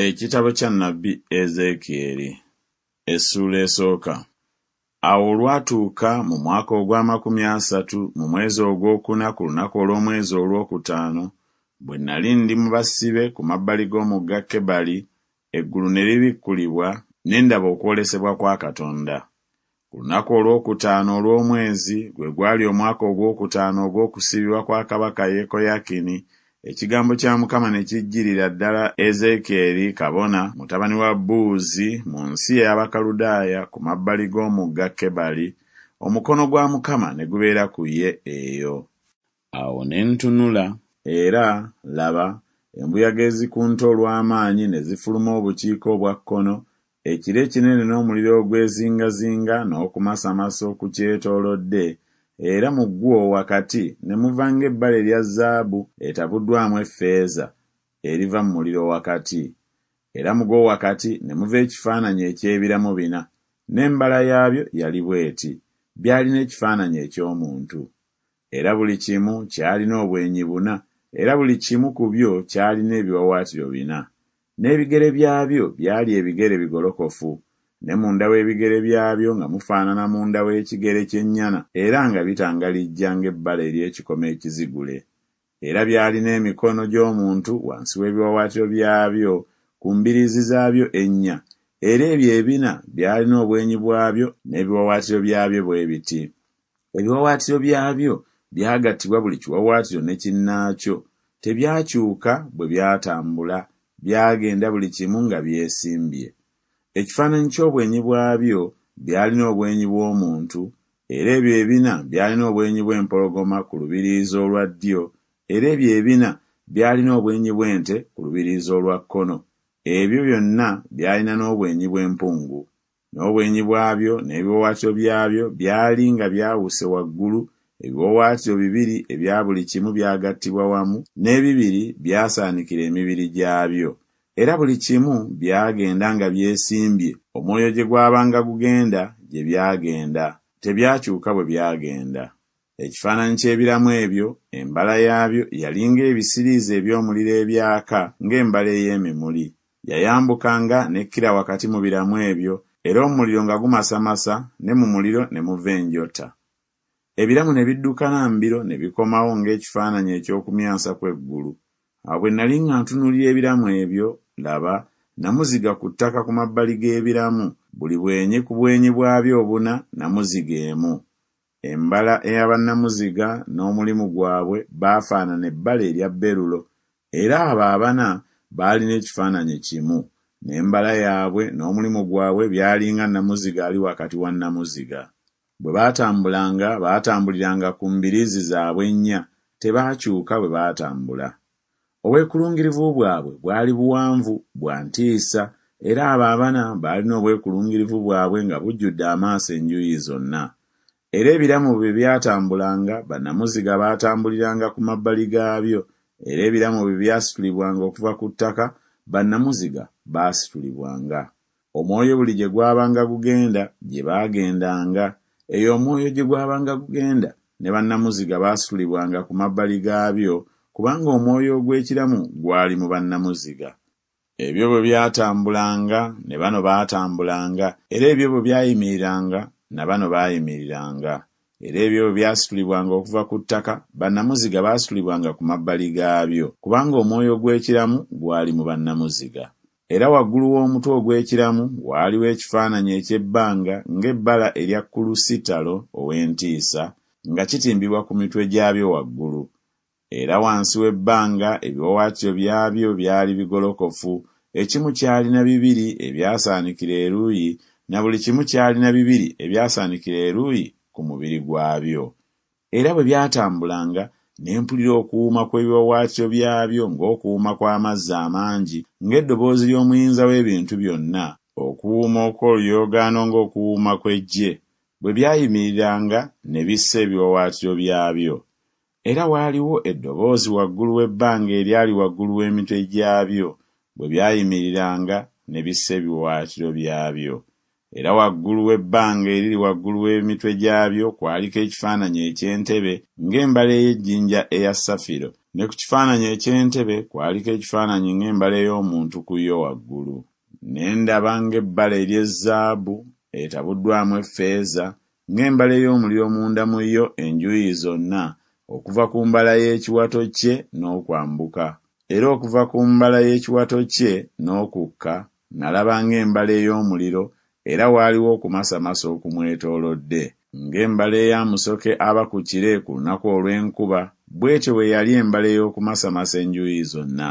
Ekitabo kya nnabbi Ezeekyeri essuula esooka. Awo olwatuuka mu mwaka ogw'amakumi asatu mu mwezi ogwokuna ku lunaku olw'omwezi olwokutaano, bwe nnali ndi mu basibe ku mabbali g'omugga Kebali, eggulu ne libikkulibwa, ne ndaba okwolesebwa kwa Katonda. Ku lunaku olwokutaano olw'omwezi, gwe gwali omwaka ogwokutaano ogw'okusibibwa kwa kabaka Yekoyakini, ekigambo kya Mukama ne kijjirira ddala Ezeekyeri kabona, mutabani wa Buuzi, mu nsi ey'Abakaludaaya ku mabbali g'omugga Kebali, omukono gwa Mukama ne gubeera ku ye eyo. Awo ne ntunula, era, laba, embuyaga ezikunta olw'amaanyi ne zifuluma obukiika obwa kkono, ekire ekinene n'omuliro ogwezingazinga n'okumasamasa okukyetoolodde, era mu gwo wakati ne muva ng'ebbala erya zaabu etabuddwamu effeeza, eriva mu muliro wakati. Era mu gwo wakati ne muva ekifaananyi eky'ebiramu bina, n'embala yaabyo yali bw'eti, byalina ekifaananyi eky'omuntu. Era buli kimu kyalina obwenyi buna, era buli kimu ku byo kyalina ebiwaawaatiro bina. N'ebigere byabyo byali ebigere bigolokofu, ne munda w'ebigere byabyo nga mufaanana munda w'ekigere ky'ennyana, era nga bitangalijja ng'ebbala ery'ekikomo ekizigule. Era byalina emikono gy'omuntu wansi w'ebiwaawaatiro byabyo ku mbiriizi zaabyo ennya, era ebyo ebina byalina obwenyi bwabyo n'ebiwaawaatiro byabyo bwe biti. Ebiwaawaatiro byabyo byagattibwa buli kiwaawaatiro ne kinnaakyo, tebyakyuka bwe byatambula, byagenda buli kimu nga byesimbye. Ekifaananyi ky'obwenyi bwabyo byalina obwenyi bw'omuntu, era ebyo ebina byalina obwenyi bw'empologoma ku lubiriizi olwa ddyo, era ebyo ebina byalina obwenyi bw'ente ku lubiriizi olwa kkono, ebyo byonna byalina n'obwenyi bw'empungu. N'obwenyi bwabyo n'ebiwaawaatiro byabyo byali nga byawuse waggulu, ebiwaawaatiro bibiri ebya buli kimu byagattibwa wamu, n'ebibiri byasaanikira emibiri gyabyo. Era buli kimu byagenda nga byesimbye, omwoyo gye gwabanga gugenda gye byagenda, tebyakyuka bwe byagenda. Ekifaananyi ky'ebiramu ebyo, embala yaabyo yali ng'ebisiriiza eby'omuliro ebyaka ng'embala ey'emimuli. Yayambukanga n'ekkira wakati mu biramu ebyo, era omuliro nga gumasamasa, ne mu muliro ne muva enjota. Ebiramu ne biddukana mbiro ne bikomawo ng'ekifaananyi eky'okumyansa kw'eggulu. Awo bwe nnali nga ntunuulira ebiramu ebyo, laba, nnamuziga ku ttaka ku mabbali g'ebiramu, buli bwenyi ku bwenyi bwabyo obuna, nnamuziga emu. Embala eya bannamuziga n'omulimu gwabwe baafaanana ebbala erya berulo, era abo abana baalina ekifaananyi kimu, n'embala yaabwe n'omulimu gwabwe byali nga nnamuziga ali wakati wa nnamuziga. Bwe baatambulanga, baatambuliranga ku mbiriizi zaabwe ennya, tebaakyuka bwe baatambula. Obwekulungirivu bwabwe bwali buwanvu, bwa ntiisa, era abo abana baalina obwekulungirivu bwabwe nga bujjudde amaaso enjuyi zonna. Era ebiramu bwe byatambulanga, bannamuziga baatambuliranga ku mabbali gaabyo, era ebiramu bwe byasitulibwanga okuva ku ttaka, bannamuziga baasitulibwanga. Omwoyo buli gye gwabanga gugenda, gye baagendanga, eyo omwoyo gye gwabanga gugenda, ne bannamuziga baasitulibwanga ku mabbali gaabyo, kubanga omwoyo ogw'ekiramu gwali mu bannamuziga. Ebyo bwe byatambulanga, ne bano baatambulanga, era ebyo bwe byayimiriranga, na bano baayimiriranga. Era ebyo bwe byasitulibwanga okuva ku ttaka, bannamuziga baasitulibwanga ku mabbali gaabyo, kubanga omwoyo ogw'ekiramu gwali mu bannamuziga. Era waggulu w'omutwe ogw'ekiramu waaliwo ekifaananyi eky'ebbanga ng'ebbala erya kulusitalo ow'entiisa, nga kitimbibwa ku mitwe gyabyo waggulu. Era wansi w'ebbanga ebiwaawaatiro byabyo byali bigolokofu, ekimu kyalina bibiri ebyasaanikira eruuyi, na buli kimu kyalina bibiri ebyasaanikira eruuyi ku mubiri gwabyo. Era bwe byatambulanga, ne mpulira okuwuuma kw'ebiwaawaatiro byabyo ng'okuwuuma kw'amazzi amangi, ng'eddoboozi ly'Omuyinza w'ebintu byonna, okuwuuma okw'oluyoogaano ng'okuwuuma kw'eggye, bwe byayimiriranga ne bissa ebiwaawaatiro byabyo. Era waaliwo eddoboozi waggulu w'ebbanga eryali waggulu w'emitwe gyabyo, bwe byayimiriranga ne bissa ebiwaawaatiro byabyo. Era waggulu w'ebbanga eriri waggulu w'emitwe gyabyo kwaliko ekifaananyi eky'entebe ng'embala ey'ejjinja eya safiro, Ne ku kifaananyi eky'entebe kwaliko ekifaananyi ng'embala ey'omuntu ku yo waggulu. Ne ndaba ng'ebbala ery'ezzaabu etabuddwamu effeeza, ng'embala ey'omuliro munda mu yo enjuuyi zonna, okuva ku mbala y'ekiwato kye n'okwambuka. Era okuva ku mbala y'ekiwato kye n'okukka nalaba ng'embala ey'omuliro, era waaliwo okumasamasa okumwetoolodde. Ng'embala eya musoke aba ku kire ku lunaku olw'enkuba, bw'etyo bwe yali embala ey'okumasamasa enjuuyi zonna.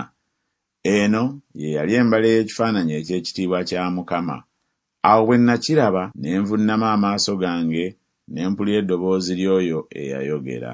Eno ye yali embala ey'ekifaananyi eky'ekitiibwa kya Mukama. Awo bwe nnakiraba, ne nvunnama amaaso gange, ne mpulira eddoboozi ly'oyo eyayogera.